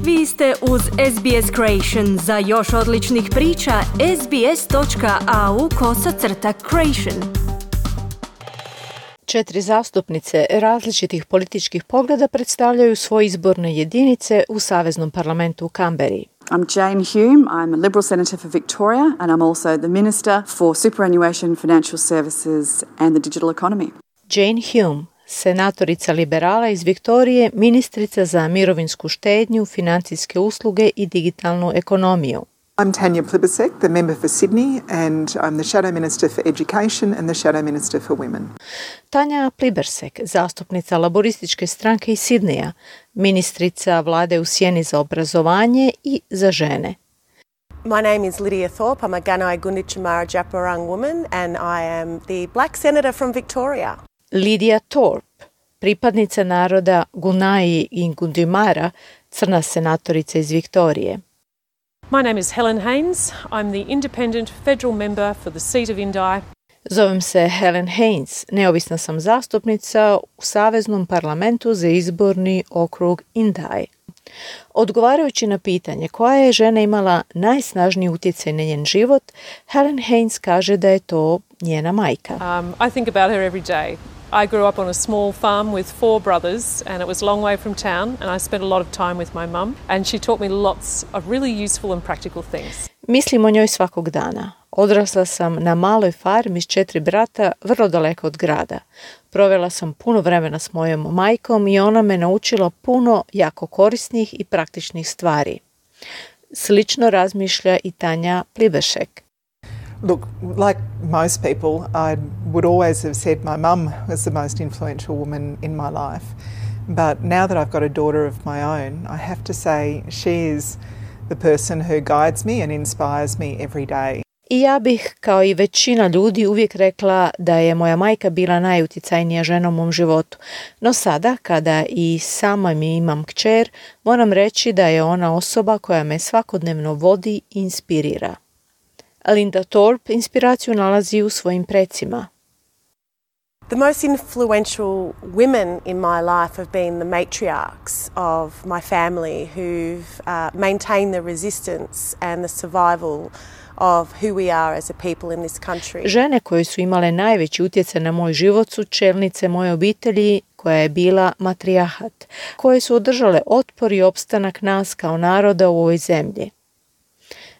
Vi ste uz SBS Creation. Za još odličnih priča, sbs.au/creation. 4 zastupnice različitih političkih pogleda predstavljaju svoje izborne jedinice u Saveznom parlamentu u Kamberi. I'm Jane Hume. I'm a Liberal Senator for Victoria and I'm also the Minister for Superannuation, Financial Services and the Digital Economy. Jane Hume, senatorica liberala iz Viktorije, ministrica za mirovinsku štednju, financijske usluge i digitalnu ekonomiju. I'm Tanya Plibersek, the member for Sydney, and I'm the Shadow Minister for Education and the Shadow Minister for Women. Tanja Plibersek, zastupnica laborističke stranke iz Sidneja, ministrica vlade u sjeni za obrazovanje i za žene. My name is Lydia Thorpe. I'm a Gunai Gunditjmara Djapurrung woman and I am the Black Senator from Victoria. Lydia Thorpe, pripadnica naroda Gunai i Gunditjmara, crna senatorica iz Viktorije. My name is Helen Haynes. I'm the independent federal member for the seat of Indi. Zovem se Helen Haynes, neovisna sam zastupnica u Saveznom parlamentu za izborni okrug Indi. Odgovarajući na pitanje koja je žena imala najsnažniji utjecaj na njen život, Helen Haynes kaže da je to njena majka. I think about her every day. I grew up on a small farm with 4 brothers and it was a long way from town and I spent a lot of time with my mum and she taught me lots of really useful and practical things. Mislim o njoj svakog dana. Odrasla sam na maloj farmi s 4 brata, vrlo daleko od grada. Provela sam puno vremena s mojom majkom i ona me naučila puno jako korisnih i praktičnih stvari. Slično razmišlja i Tanja Plibersek. Look, like most people, I would always have said my mum was the most influential woman in my life. But now that I've got a daughter of my own, I have to say she is the person who guides me and inspires me every day. I ja bih, kao i većina ljudi, uvijek rekla da je moja majka bila najutjecajnija žena u mom životu. No sada, kada i sama mi imam kćer, moram reći da je ona osoba koja me svakodnevno vodi i inspirira. Linda Thorpe inspiraciju nalazi u svojim precima. The most influential women in my life have been the matriarchs of my family who've maintained the resistance and the survival of who we are as a people in this country. Žene koje su imale najveći utjecaj na moj život su čelnice moje obitelji koja je bila matrijarhat, koje su održale otpor i opstanak nas kao naroda u ovoj zemlji.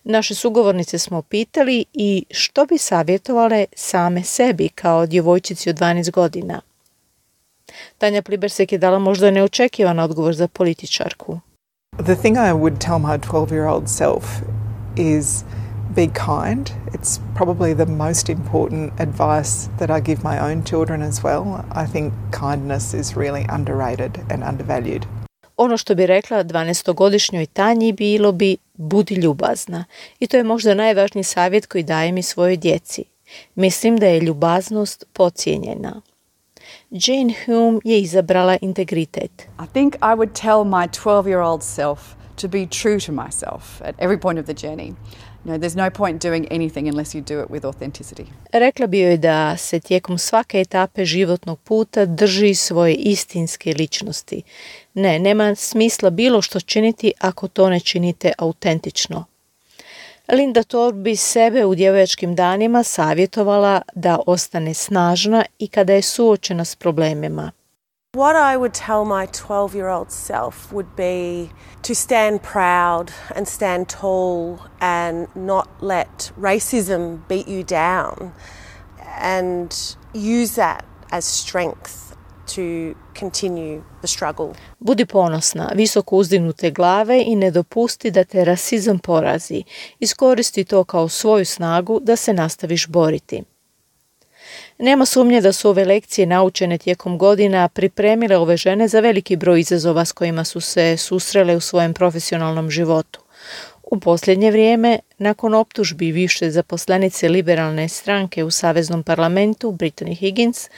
Naše sugovornice smo pitali i što bi savjetovale same sebi kao djevojčici od 12 godina. Tanja Plibersek je dala možda neočekivan odgovor za političarku. The thing I would tell my 12-year-old self is be kind. It's probably the most important advice that I give my own children as well. I think kindness is really underrated and undervalued. Ono što bi rekla 12-godišnjoj Tanji bilo bi budi ljubazna. I to je možda najvažniji savjet koji dajem i svojoj djeci. Mislim da je ljubaznost podcijenjena. Jane Hume je izabrala integritet. I think I would tell my 12-year-old self to be true to myself at every point of the journey. You know, there's no point doing anything unless you do it with authenticity. Rekla bi joj da se tijekom svake etape životnog puta drži svoje istinske ličnosti. Nema smisla bilo što činiti ako to ne činite autentično. Linda Thorpe bi sebe u djevojačkim danima savjetovala da ostane snažna i kada je suočena s problemima. What I would tell my 12-year-old self would be to stand proud and stand tall and not let racism beat you down and use that as strength to continue the struggle. Budi ponosna, visoko uzdignute glave i ne dopusti da te rasizam porazi. Iskoristi to kao svoju snagu da se nastaviš boriti. Nema sumnje da su ove lekcije naučene tijekom godina pripremile ove žene za veliki broj izazova s kojima su se susrele u svojem profesionalnom životu. U posljednje vrijeme, nakon optužbi više zaposlenice liberalne stranke u Saveznom parlamentu, Brittany Higgins,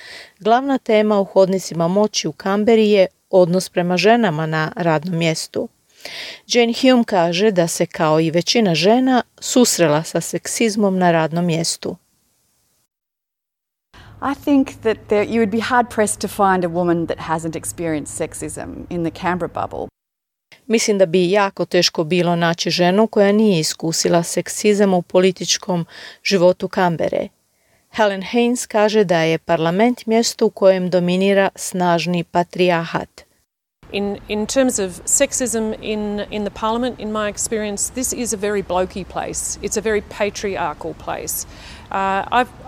glavna tema u hodnicima moći u Kamberi je odnos prema ženama na radnom mjestu. Jane Hume kaže da se kao i većina žena susrela sa seksizmom na radnom mjestu. I think that you would be hard pressed to find a woman that hasn't experienced sexism in the Canberra bubble. Mislim da bi jako teško bilo naći ženu koja nije iskusila seksizam u političkom životu Kambere. Helen Haynes kaže da je parlament mjesto u kojem dominira snažni patrijarhat. In terms of sexism in the parliament, in my experience, this is a very blokey place. It's a very patriarchal place.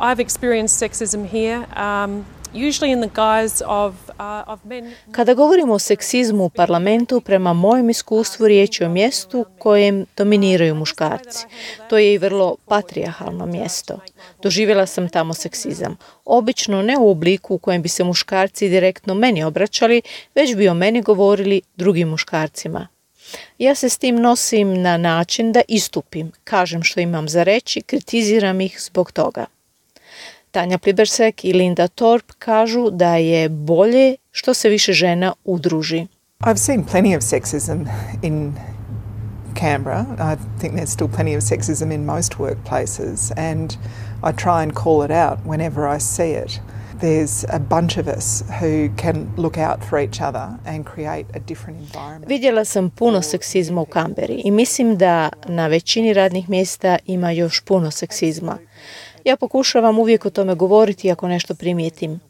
I've experienced sexism here, usually in the guise of men. Kada govorimo o seksizmu u parlamentu, prema mojem iskustvu riječ je o mjestu kojem dominiraju muškarci. To je i vrlo patrijarhalno mjesto. Doživjela sam tamo seksizam. Obično ne u obliku u kojem bi se muškarci direktno meni obraćali, već bi o meni govorili drugim muškarcima. Ja se s tim nosim na način da istupim, kažem što imam za reći, kritiziram ih zbog toga. Tanja Plibersek i Linda Thorpe kažu da je bolje što se više žena udruži. I've seen plenty of sexism in Canberra. I think there's still plenty of sexism in most workplaces, and I try and call it out whenever I see it. There's a bunch of us who can look out for each other and create a different environment. Vidjela sam puno seksizma u Kamberi i mislim da na većini radnih mjesta ima još puno seksizma. Ja pokušavam uvijek o tome govoriti ako nešto primijetim.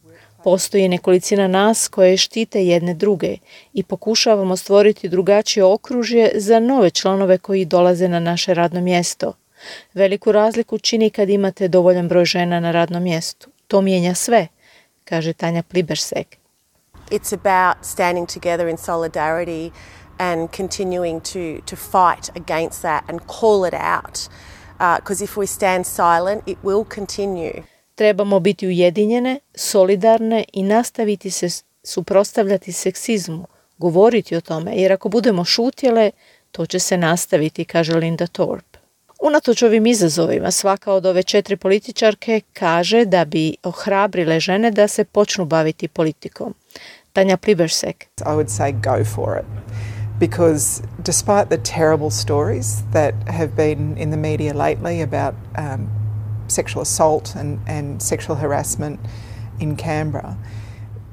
Postoji nekolicina nas koje štite jedne druge i pokušavamo stvoriti drugačije okružje za nove članove koji dolaze na naše radno mjesto. Veliku razliku čini kad imate dovoljan broj žena na radnom mjestu. To mijenja sve, kaže Tanja Plibersek. It's about standing together in solidarity and continuing to fight against that and call it out. Because if we stand silent, it will continue. Trebamo biti ujedinjene, solidarne i nastaviti se suprotstavljati seksizmu, govoriti o tome, jer ako budemo šutjele, to će se nastaviti, kaže Linda Thorpe. Unatoč ovim izazovima, svaka od ove 4 političarke kaže da bi ohrabrile žene da se počnu baviti politikom. Tanja Plibersek. I would say go for it. Because despite the terrible stories that have been in the media lately about sexual assault and sexual harassment in Canberra,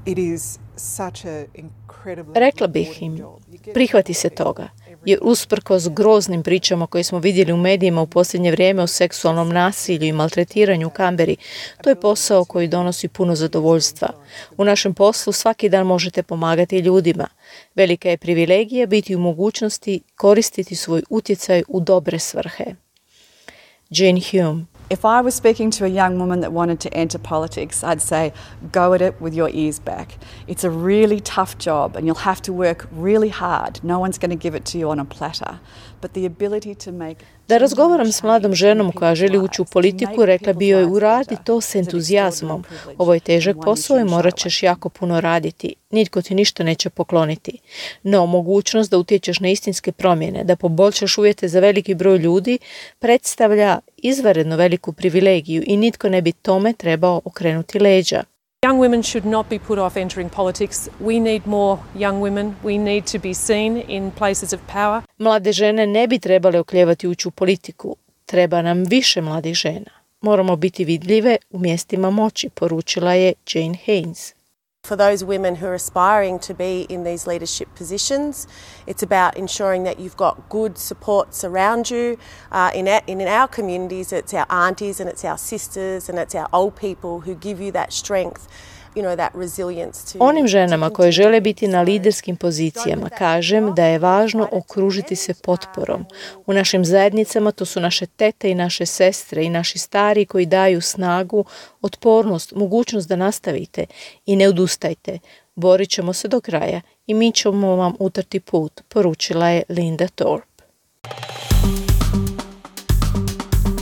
it is such an incredibly... Rekla bih im, prihvati se toga, jer usprkos groznim pričama koje smo vidjeli u medijima u posljednje vrijeme o seksualnom nasilju i maltretiranju u Kamberi, to je posao koji donosi puno zadovoljstva. U našem poslu svaki dan možete pomagati ljudima. Velika je privilegija biti u mogućnosti koristiti svoj utjecaj u dobre svrhe. Jane Hume. If I was speaking to a young woman that wanted to enter politics, I'd say, go at it with your ears back. It's a really tough job and you'll have to work really hard. No one's going to give it to you on a platter. But the ability to make... Da razgovaram s mladom ženom koja želi ući u politiku, rekla bi joj uradi to s entuzijazmom. Ovo je težak posao i morat ćeš jako puno raditi. Nitko ti ništa neće pokloniti. No, mogućnost da utječeš na istinske promjene, da poboljšaš uvjete za veliki broj ljudi, predstavlja izvanredno veliku privilegiju i nitko ne bi tome trebao okrenuti leđa. Young women should not be put off entering politics. We need more young women. We need to be seen in places of power. Mlade žene ne bi trebale oklijevati ući u politiku. Treba nam više mladih žena. Moramo biti vidljive u mjestima moći, poručila je Jane Haynes. For those women who are aspiring to be in these leadership positions, it's about ensuring that you've got good supports around you. In our communities, it's our aunties and it's our sisters and it's our old people who give you that strength, you know, that resilience to... Onim ženama koje žele biti na liderskim pozicijama kažem da je važno okružiti se potporom. U našim zajednicama to su naše tete i naše sestre i naši stari koji daju snagu, otpornost, mogućnost da nastavite i ne odustajte. Borit ćemo se do kraja i mi ćemo vam utrti put, poručila je Linda Thorpe.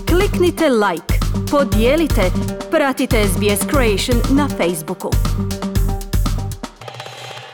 Kliknite like, podijelite, pratite SBS Creation na Facebooku.